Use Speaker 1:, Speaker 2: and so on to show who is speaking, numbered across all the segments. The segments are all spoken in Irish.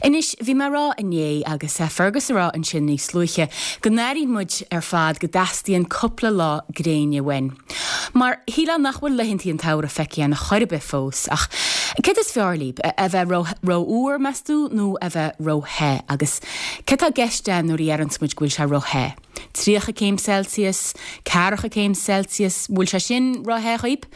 Speaker 1: Anois, bhí mé a rá inné, agus Fergus a rá ansin níos luaithe, go n-airíonn muid ar fad go dteastaíonn cúpla lá gréine uainn. Mar shílfeá nach bhfuil laethantaí an tsamhraidh feicthe againn chor ar bith fós. Ach céard is fearr libh, a bheith ró-fhuar, meas tú, nó a bheith ró-the? Agus céard tá i gceist againn nuair a dheireanns muid go bhfuil sé ró-the? 30 céim Celsius? Ceathracha céim Celsius? Bhfuil sé sin ró-the dhaoib?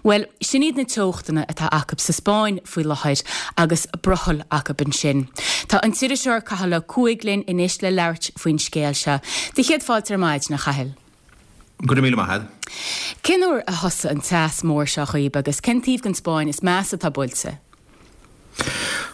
Speaker 1: Bhuel, sin iad na teochtanna atá acu sa Spáinn faoi láthair agus brothall acu ansin. Tá an t-iriseoir Cathal Ó Cuaig linn anois le labhairt faoin scéal seo. Do chéad fáilte ar maidin, a Chathail.
Speaker 2: Go raibh míle maith agat.
Speaker 1: Cén uair a thosaigh an teas mór seo dhaoib agus cén taobh den Spáinn is measa atá buailte?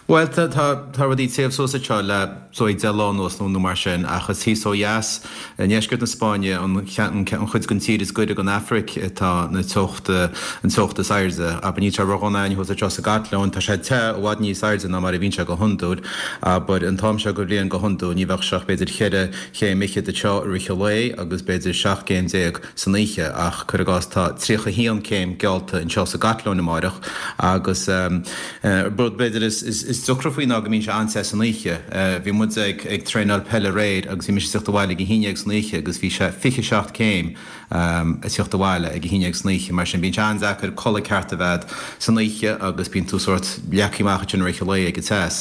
Speaker 2: Bhuel, tá, tá, tá rudaí ag téamh suas anseo le dóigh 10 lá anuas nó, nó mar sin, ach is thíos ó dheas, i ndeisceart na Spáinne, an, an, an chuid den tír is gaire don Afraic, atá na teochta, an teocht is airde. Abair, níl sé ródhona againn thuas anseo sa gCatalóin, tá sé te, i bhfad níos airde ná mar a bhíonn sé go hiondúil. Abair, an t-am seo de bhliain go hiondúil, ní bheadh sé ach b'fhéidir cheithre chéim fhichead anseo i rith an lae agus b'fhéidir 17 gcéim san oíche ach cuir i gcás tá 31 céim geallta anseo sa gCatalóin amáireach agus rud b'fhéidir is deacra faoi ná go mbíonn sé an-te san oíche. Bhí muid ag ag traenáil peile aréir agus bhí mise ag teacht abhaile ag a haon dhéag san oíche agus bhí sé 27 céim ag teacht abhaile ag a haon dhéag san oíche mar sin bíonn sé an-deacair codladh ceart a bheith a'd san oíche agus bíonn tú sórt leagtha amach ansin i rith an lae ag an teas.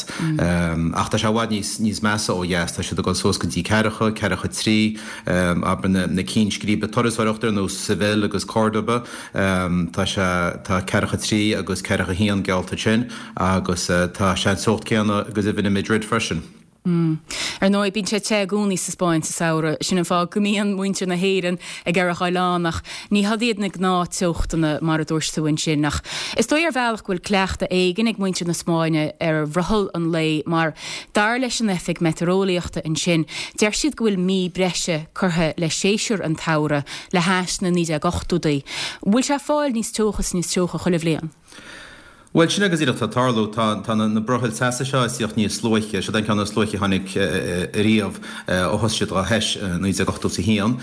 Speaker 2: Ach tá sé i bhfad níos níos measa ó dheas, tá siad ag dul suas go dtí ceathracha, ceathracha trí, abair na na cinn scríbe turasóireachta ar nós Seville agus Córdoba, tá sé tá ceathracha trí agus ceathracha haon geallta ansin agus tá sé an teocht céanna go deimhin i Madrid freisin.
Speaker 1: Ar ndóigh, bíonn sé te i gcónaí sa Spáinn sa samhradh. Sin an fáth go mbíonn muintir na hÉireann ag iarraidh a ghoil ann, ach ní hiad iad na gnáth-teochtanna mar a dúirt tú ansin. Ach is dóigh ar bhealach go bhfuil cleachtadh éigin ag muintir na Spáinne ar bhrothall an lae mar, dar leis an oifig meitéareolaíochta ansin, deir siad go bhfuil mí breise curtha le séasúr an tsamhraidh le hais na 1980idí. Bhfuil sé ag fáil níos teocha is níos teocha chuile bhliain?
Speaker 2: Bhuel, sin é go díreach atá ag tarlú. Tá, tá na, na brothaill teasa seo ag tíocht níos luaithe. Siod é an ceann is luaithe a tháinig ariamh ó thosaigh siad á thomhas i 1981.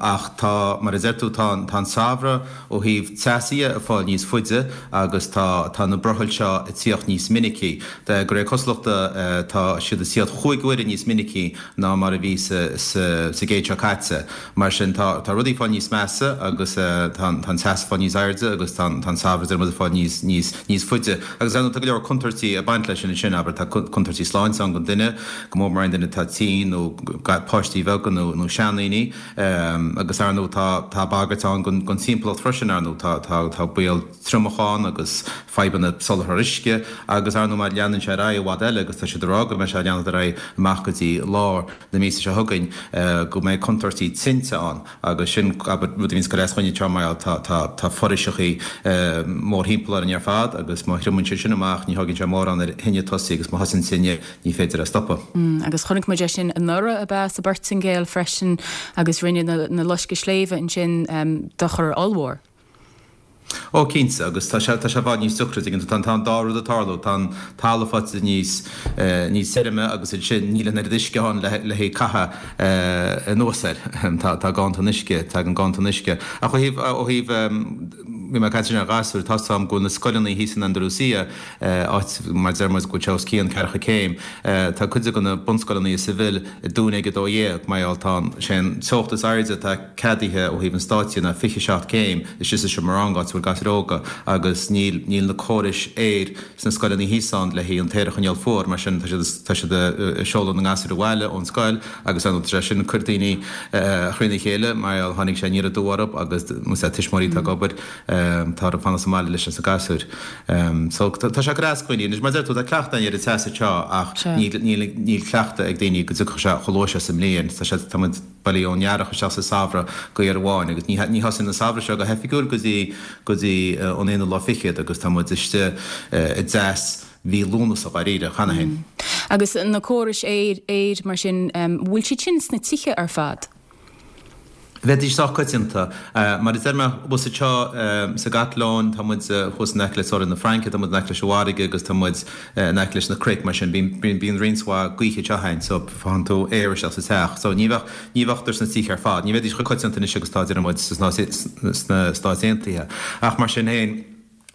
Speaker 2: Ach tá, mar a deir tú, tá an, tá an samhradh ó thaobh teasa dhe ag fáil níos faide agus tá, tá na brothaill seo ag tíocht níos minicí. De réir cosúlachta tá siad ag tíocht chúig huaire níos minicí ná mar a bhí sa, sa, sa gcéad seo caite. Mar sin, tá rudaí ag fáil níos measa agus tá an teas ag fáil níos airde agus tá an samhradh, deir muid, ag fáil níos, níos, níos faide. Agus ar ndóigh, tá go leor contúirtí ag baint leis sin ansin, abair, tá contúirtí sláinte ann don duine, go mór mór aon duine atá tinn nó páistí beaga nó, nó seandaoine. Agus ar ndóigh, tá, tá bagairt ann don, don timpeallacht freisin, ar ndóigh, tá, tá, tá baol triomach ann agus fadhbanna soláthar uisce agus ar ndóigh má leanann sé ar aghaidh i bhfad eile agus tá siad ag rá go mbeidh sé ag leanacht ar aghaidh amach go dtí lár na míosa seo chugainn go mbeidh contúirtí tinte ann agus sin, abair, rud a bhíonns ag cur as dhúinne anseo mar tá, tá, tá foraoiseachaí mórthimpeall orainn ar fad agus má thriomaíonn sé sin amach ní thógann sé mórán ar thine tosaí agus má thosaíonn tine ní féidir é a stopadh.
Speaker 1: Agus chonaic muid é sin anuraidh ab ea sa bPortaingéil freisin agus rinne na, na loisceadh sléibhe ansin dochar ollmhór.
Speaker 2: Ó, cinnte, agus tá sé, tá sé i bhfad níos deacra, tuigeann tú, tá, tá an dá rud ag tarlú, tá an talamh faighte níos, níos tirime agus ansin níl an oiread uisce ann le, le haghaidh caitheamh anuas air, tá, tá ganntan uisce, tagann ganntan uisce. Ach ó thaobh, ó thaobh, bhí mé ag caint ansin ar ghasúir, tá 's a'm go bhfuil na scoileanna thíos in Andalusia, áit, mar a deir muid, go bhfuil sé os cionn ceathracha céim, tá cuid de na bunscoileanna i Seville ag dúnadh ag a dó dhéag, mar gheall, tá an, sé an teocht is airde atá ceadaithe ó thaobh an stáit dhe ná 27 céim istigh sa seomra ranga áit a bhfuil gasúir óga agus níl níl na córais aeir sna scoileanna thíos ann le haghaidh an t-aer a choinneáil fuar mar sin tá siad tá siad ag seoladh na ngasúr abhaile ón scoil agus ar ndóigh tá sé sin ag cur daoine thrína chéile mar gheall tháinig sé aniar aduaidh orthu agus más ea tuismitheoirí atá ag obair tá orthu fanacht sa mbaile leis na gasúir. So tá sé ag cur as do dhaoine. Anois mar a deir tú tá cleachtadh againn ar an teas anseo ach níl níl níl cleachtadh ag daoine go dtiocfadh sé chomh luath seo sa mbliain. Tá sé tá muid bailithe ón earrach isteach sa samhradh go uair amháin agus ní ní thosaíonn an samhradh seo go hoifigiúil go dtí go dtí an aonú lá fichead agus tá muid istigh i dteas mhí Lúnasa dháiríre cheana féin.
Speaker 1: Agus na córais aeir aeir mar sin, bhfuil siad sin sna tithe ar fad?
Speaker 2: Bheidís sách coitianta. Mar a deir mé, thuas anseo sa gCatalóin, tá muid thuas in aice le teorainn na Fraince, tá muid in aice leis an bhfarraige agus tá muid in aice leis na cnoic, mar sin bíonn bíonn roinnt mhaith gaoithe anseo againn so faigheann tú aer isteach sa teach. So ní bheadh, ní bheadh sna tithe ar fad. Ní bheidís chomh coitianta anois agus atá, deir muid, sna Stáit Aontaithe. Ach mar sin féin.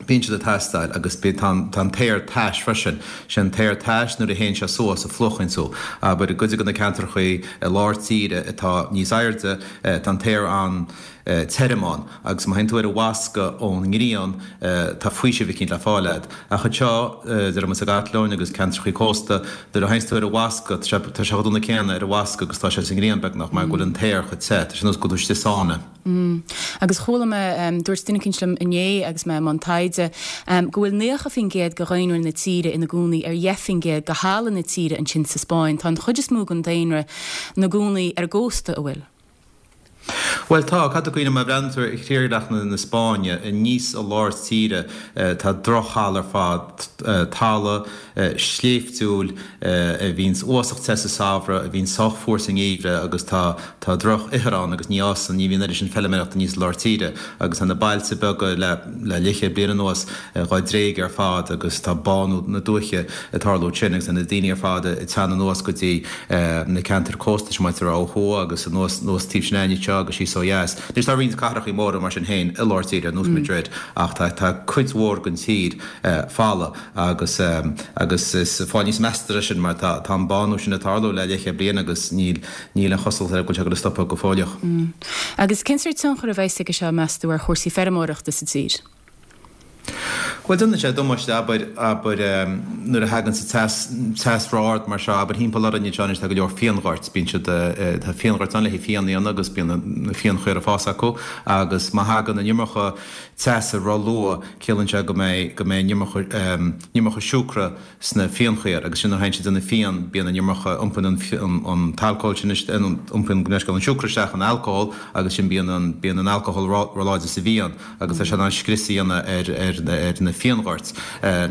Speaker 2: Bíonn siad ag teastáil agus tá an t-aer tais freisin. Sé an t-aer tais nuair a théann sé suas a phlúchann tú. Abair i gcuid de na ceantrachaí i lár tíre atá níos airde tá an t-aer an-tirim ann agus má théann tú ar an bhfoscadh ón ngrian tá faoiseamh eicínt le fáil agat. Ach anseo, déarfaidh muid sa gCatalóin agus ceantrachaí cósta, nuair a théanns tú ar an bhfoscadh tá sé tá sé chomh dona céanna ar an bhfoscadh agus tá sé sa ngrian beagnach mar go bhfuil an t-aer chomh te, tá sé nós go bhfuil tú istigh i sauna.
Speaker 1: Agus chuala mé, dúirt duine eicínt liom inné agus mé i mbun taighde, go bhfuil 90% de dhaonra na tíre ina gcónaí ar 10% de thalamh na tíre ansin sa Spáinn. Tá an chuid is mó den daonra 'na gcónaí ar an gcósta, an bhfuil?
Speaker 2: Bhuel tá, caithfidh tú cuimhneamh má bhreathnaíonn tú ar thírdhreach na Spáinne, aníos i lár tíre tá drochthalamh ar fad, talamh sléibhtiúil a bhíonns uafásach te sa samhradh, a bhíonns sách fuar sa ngeimhreadh agus tá tá droch-ithir ann agus ní fhásann, ní bhíonn oiread sin feilméarachta aníos i lár tíre agus tá na bailte beaga le le leathchéad bliain anuas dhá dtréigeadh ar fad agus tá bánú na dúiche ag tarlú ansin agus tá na daoine ar fad ag teannadh anuas go dtí na ceantair cósta sin muid ag rá ó thuaidh agus anuas anuas taobh sin againne anseo agus síos ó dheas. Anois tá roinnt cathrachaí móra mar sin féin i lár tíre ar nós Madrid ach tá tá cuid mhór den tír folamh. Agus, agus is fáil níos measta é sin mar tá, tá an bánú sin ag tarlú le leathchéad bliain agus níl, níl an chosúlacht air go bhfuil sé ag dul a stopadh go fóilleach.
Speaker 1: Agus cén sórt tionchar a bheas aige seo, meas tú, ar chúrsaí feirmeoireachta sa tír?
Speaker 2: Bhuel, déanann sé damáiste, abair, abair, nuair a thagann sa teas, teas ró-ard mar seo, abair, thimpeall orainn anseo anois tá go leor fíonghoirt, bíonn siad, tá fíonghoirt ann le haghaidh fíon a dhéanamh agus bíonn na fíonchaora ag fás acu agus má thagann an iomarca teasa ró-luath, Ciallaíonn sé go mbeidh, go mbeidh an iomarca, an iomarca siúcra sna fíonchaora agus sin nuair a théann siad ag déanamh fíon, bíonn an iomarca, iompaíonn an, an t-alcól sin, iompaíonn, gabh mo leithscéal, an siúcra isteach in alcól agus sin bíonn an, bíonn an alcól ró-láidir sa bhfíon agus tá sé in ann scrios a dhéanamh ar, ar, ar na fíonghoirt.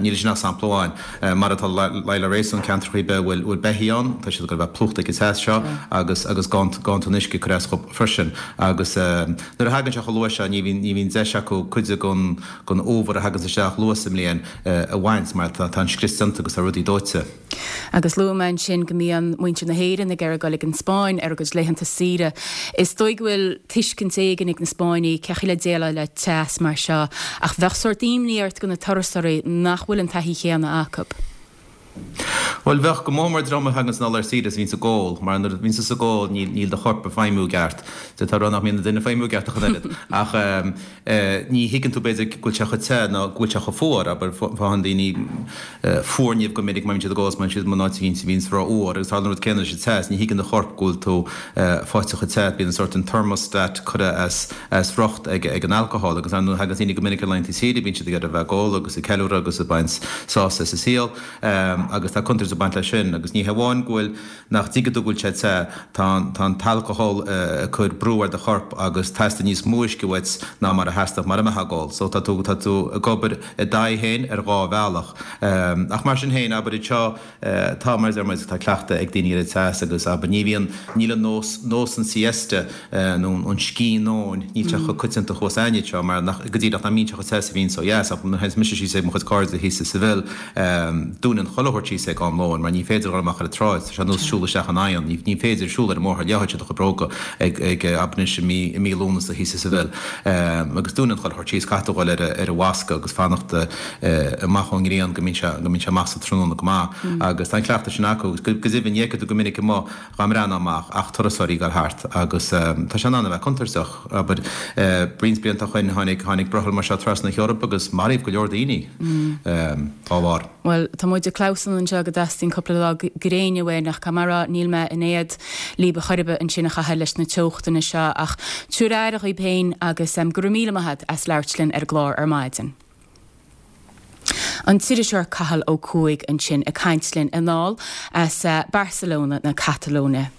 Speaker 2: Níl sin ach sampla amháin. Mar atá le réasún, ceantracha ar bith a bhfuil, bhfuil beithígh ann, tá siad ag dul a bheith plúchta ag an teas seo agus, agus ganntan uisce ag cur as dhóibh freisin agus. Nuair a thagann sé chomh luath seo ní bhíonn, ní bhíonn deis acu cuid den, den fhómhar a thaganns isteach luath sa mbliain a bhaint mar tá, tá an scrios déanta agus tá rudaí dóite.
Speaker 1: Agus luaigh mé ansin go mbíonn muintir na hÉireann ag iarraidh dul ag an Spáinn ar a gcuid laethanta saoire. Is dóigh go bhfuil tuiscint éigin ag na Spáinnigh cén chaoi le déileáil le teas mar seo ach bheadh sórt imní ort do na turasóirí nach bhfuil an taithí chéanna acu.
Speaker 2: Bhuel, bheadh, go mór mór dream a thaganns anall ar saoire is a bhíonns ag ól, mar nuair a bhíonns tusa ag ól níl, níl do chorp ag feidhmiú i gceart. D'fhéadfá a rá nach mbíonn an duine ag feidhmiú i gceart ach an oiread. Ach ní thuigeann tú b'fhéidir go bhfuil sé chomh te nó go bhfuil sé chomh fuar, abair, faigheann daoine fuarnimh go minic má bhíonn siad ag ól is má bhíonn siad in áit éicint a bhíonns rófhuar agus tarlaíonn an rud céanna leis an teas, ní thuigeann do chorp go bhfuil tú faighte chomh te, bíonn an sórt an thermostat curtha as as riocht ag an alcohol agus ar ndóigh thagann daoine go minic ar laethanta saoire, bíonn siad ag iarraidh a bheith ag ól agus ag ceiliúradh agus ag baint sásamh as an saol agus tá contúirt ag baint leis sin agus ní hamháin go bhfuil, nach dtuigeann tú go bhfuil sé te, tá an, tá an t-alcohol ag cur brú ar do chorp agus teastaíonn níos mó uisce uait ná mar a theastódh mura mbeifeá ag ól. So tá tú, tá tú ag obair i d'aghaidh féin ar dhá bhealach. Ach mar sin féin, abair anseo, Tá, mar a deir muid, tá cleachtadh ag daoine ar an teas agus, abair, ní bhíonn, níl an nós, nós an siesta nó an scíth nóin, níl sé chomh coitianta thuas againne anseo mar nach, go díreach, nach mbíonn sé chomh te is a bhíonns ó dheas. Ach nuair a théanns mise síos ag mo chuid cairde thíos i Seville, dúnann chuile shórt síos ag am lóin mar ní féidir dul amach ar an tsráid, tá sé ar nós siúl isteach in oigheann, ní, ní féidir siúl ar an mbóthar, leáfaidh sé do chuid bróga ag, ag, abair anois i mí, i mí Lúnasa thíos i Seville. Agus dúnann chuile shórt síos, caithfidh tú dhul ar a, ar an bhfoscadh agus fanacht, amach ón ngrian go mbíonn sé, go mbíonn sé amach sa tráthnóna go maith agus tá an cleachtadh sin acu agus go deimhin ní fheicfidh tú go minic amuigh dhá mbreathnófá amach ach turasóirí ag dul thart agus tá sé in ann a bheith contúirteach. Abair, roinnt blianta ó shoin tháinig, tháinig brothall mar seo trasna na hEorpa agus maraíodh go leor daoine dá bharr.
Speaker 1: Bhuel, tá muid ag clamhsán anseo go dteastaíonn cúpla lá gréine uainn ach caithfidh mé a rá níl mé in éad líb ar chor ar bith ansin a Chathail leis na teochtanna seo ach tabhair aire dhaoib féin agus go raibh míle maith a't as labhairt linn ar an gclár ar maidin. An t-iriseoir Cathal Ó Cuaig ansin ag caint linn anall as Barcelona na Catalóine.